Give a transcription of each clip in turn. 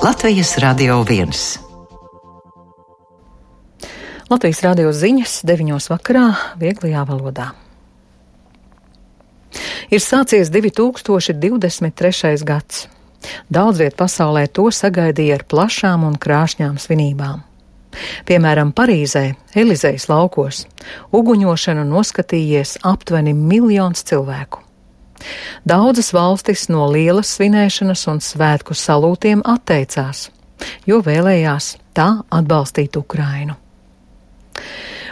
Latvijas Radio 1. Latvijas radio ziņas 9 vakarā vieglajā valodā. Ir sācies 2023. gads. Daudz viet pasaulē to sagaidīja ar plašām un krāšņām svinībām. Piemēram, Parīzē, Elizejas laukos, uguņošanu noskatījies aptuveni 1 miljons cilvēku. Daudzas valstis no lielas svinēšanas un svētku salūtiem atteicās, jo vēlējās tā atbalstīt Ukrainu.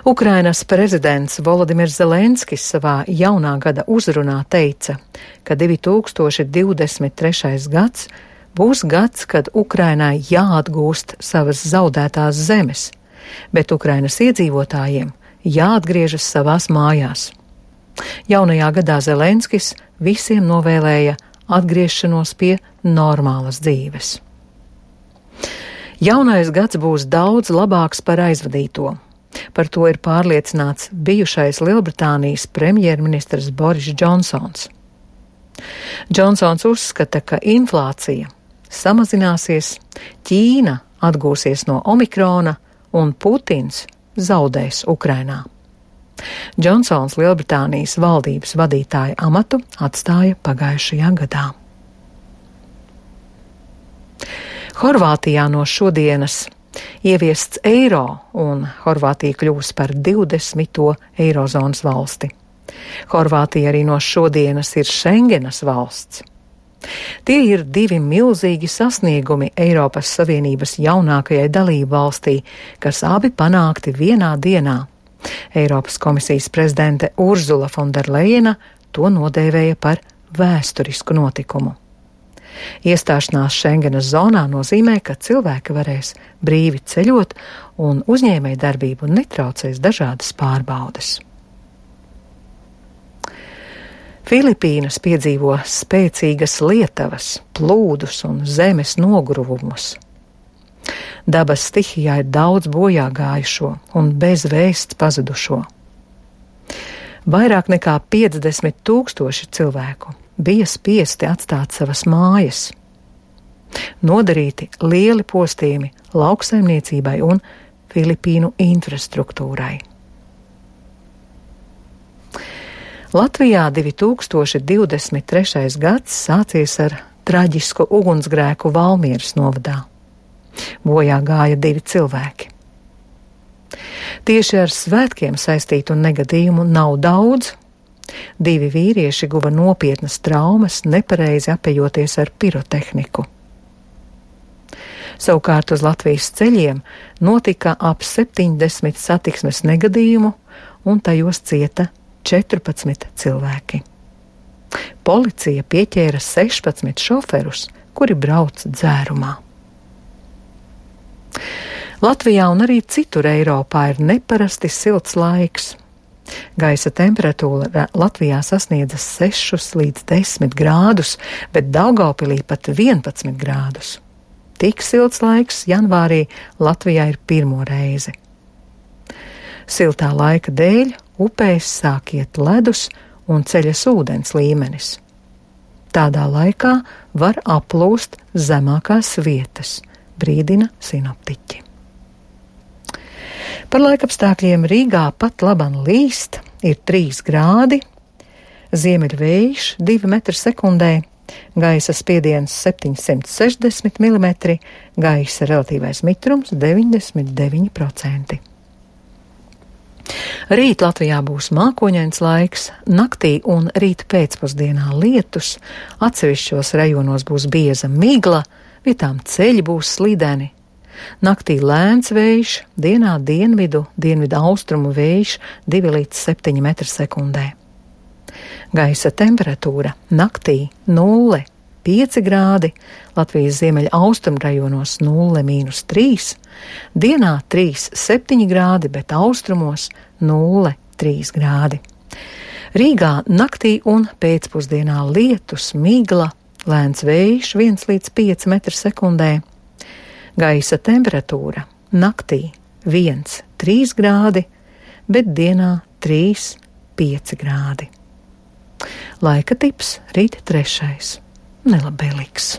Ukrainas prezidents Volodimirs Zelenskis savā jaunā gada uzrunā teica, ka 2023. gads būs gads, kad Ukrainai jāatgūst savas zaudētās zemes, bet Ukrainas iedzīvotājiem jāatgriežas savās mājās. Jaunajā gadā Zelenskis visiem novēlēja atgriešanos pie normālas dzīves. Jaunais gads būs daudz labāks par aizvadīto. Par to ir pārliecināts bijušais Lielbritānijas premjerministrs Boris Džonsons. Džonsons uzskata, ka inflācija samazināsies, Ķīna atgūsies no Omikrona un Putins zaudēs Ukrainā. Džonsons Lielbritānijas valdības vadītāja amatu atstāja pagājušajā gadā. Horvātijā no šodienas ieviests eiro, un Horvātija kļūs par 20. eirozonas valsti. Horvātija arī no šodienas ir Šengenas valsts. Tie ir 2 milzīgi sasniegumi Eiropas Savienības jaunākajai dalību valstī, kas abi panākti vienā dienā. Eiropas komisijas prezidente Urzula Fonderlejena to nodēvēja par vēsturisku notikumu. Iestāšanās Šengenas zonā nozīmē, ka cilvēki varēs brīvi ceļot un uzņēmējdarbību netraucēs dažādas pārbaudes. Filipīnas piedzīvo spēcīgas lietavas, plūdus un zemes nogruvumus. Dabas stihijā ir daudz bojā gājušo un bez vēsts pazudušo. Vairāk nekā 50 000 cilvēku bija spiesti atstāt savas mājas. Nodarīti lieli postījumi lauksaimniecībai un Filipīnu infrastruktūrai. Latvijā 2023. gads sācies ar traģisku ugunsgrēku Valmieras novadā. Bojā gāja 2 cilvēki. Tieši ar svētkiem saistītu negadījumu nav daudz. 2 vīrieši guva nopietnas traumas, nepareizi apējoties ar pirotehniku. Savukārt uz Latvijas ceļiem notika ap 70 satiksmes negadījumu, un tajos cieta 14 cilvēki. Policija pieķēra 16 šoferus, kuri brauc dzērumā. Latvijā un arī citur Eiropā ir neparasti silts laiks. Gaisa temperatūra Latvijā sasniedza 6 līdz 10 grādus, bet Daugavpilī pat 11 grādus. Tik silts laiks janvārī Latvijā ir pirmo reizi. Siltā laika dēļ upēs sāk iet ledus un ceļas ūdens līmenis. Tādā laikā var aplūst zemākās vietas, brīdina sinoptiķi. Par laikapstākļiem Rīgā pat laban līst, ir 3 grādi, ziemeļvējš 2 metri sekundē, gaisa spiediens 760 mm, gaisa relatīvais mitrums 99%. Rīt Latvijā būs mākoņains laiks, naktī un rīt pēcpusdienā lietus, atsevišķos rajonos būs bieza migla, vietām ceļi būs slideni. Naktī lēns vējš, dienā dienvidu austrumu vējš 2 līdz 7 metri sekundē. Gaisa temperatūra naktī 0,5 grādi, Latvijas ziemeļa austrumu rajonos 0,3, dienā 3,7 grādi, bet austrumos 0,3 grādi. Rīgā naktī un pēcpusdienā lietus, migla, lēns vējš 1 līdz 5 metri sekundē. Gaisa temperatūra naktī 1,3 grādi, bet dienā 3,5 grādi. Laika tips rīt 3. nelabvēlīgs.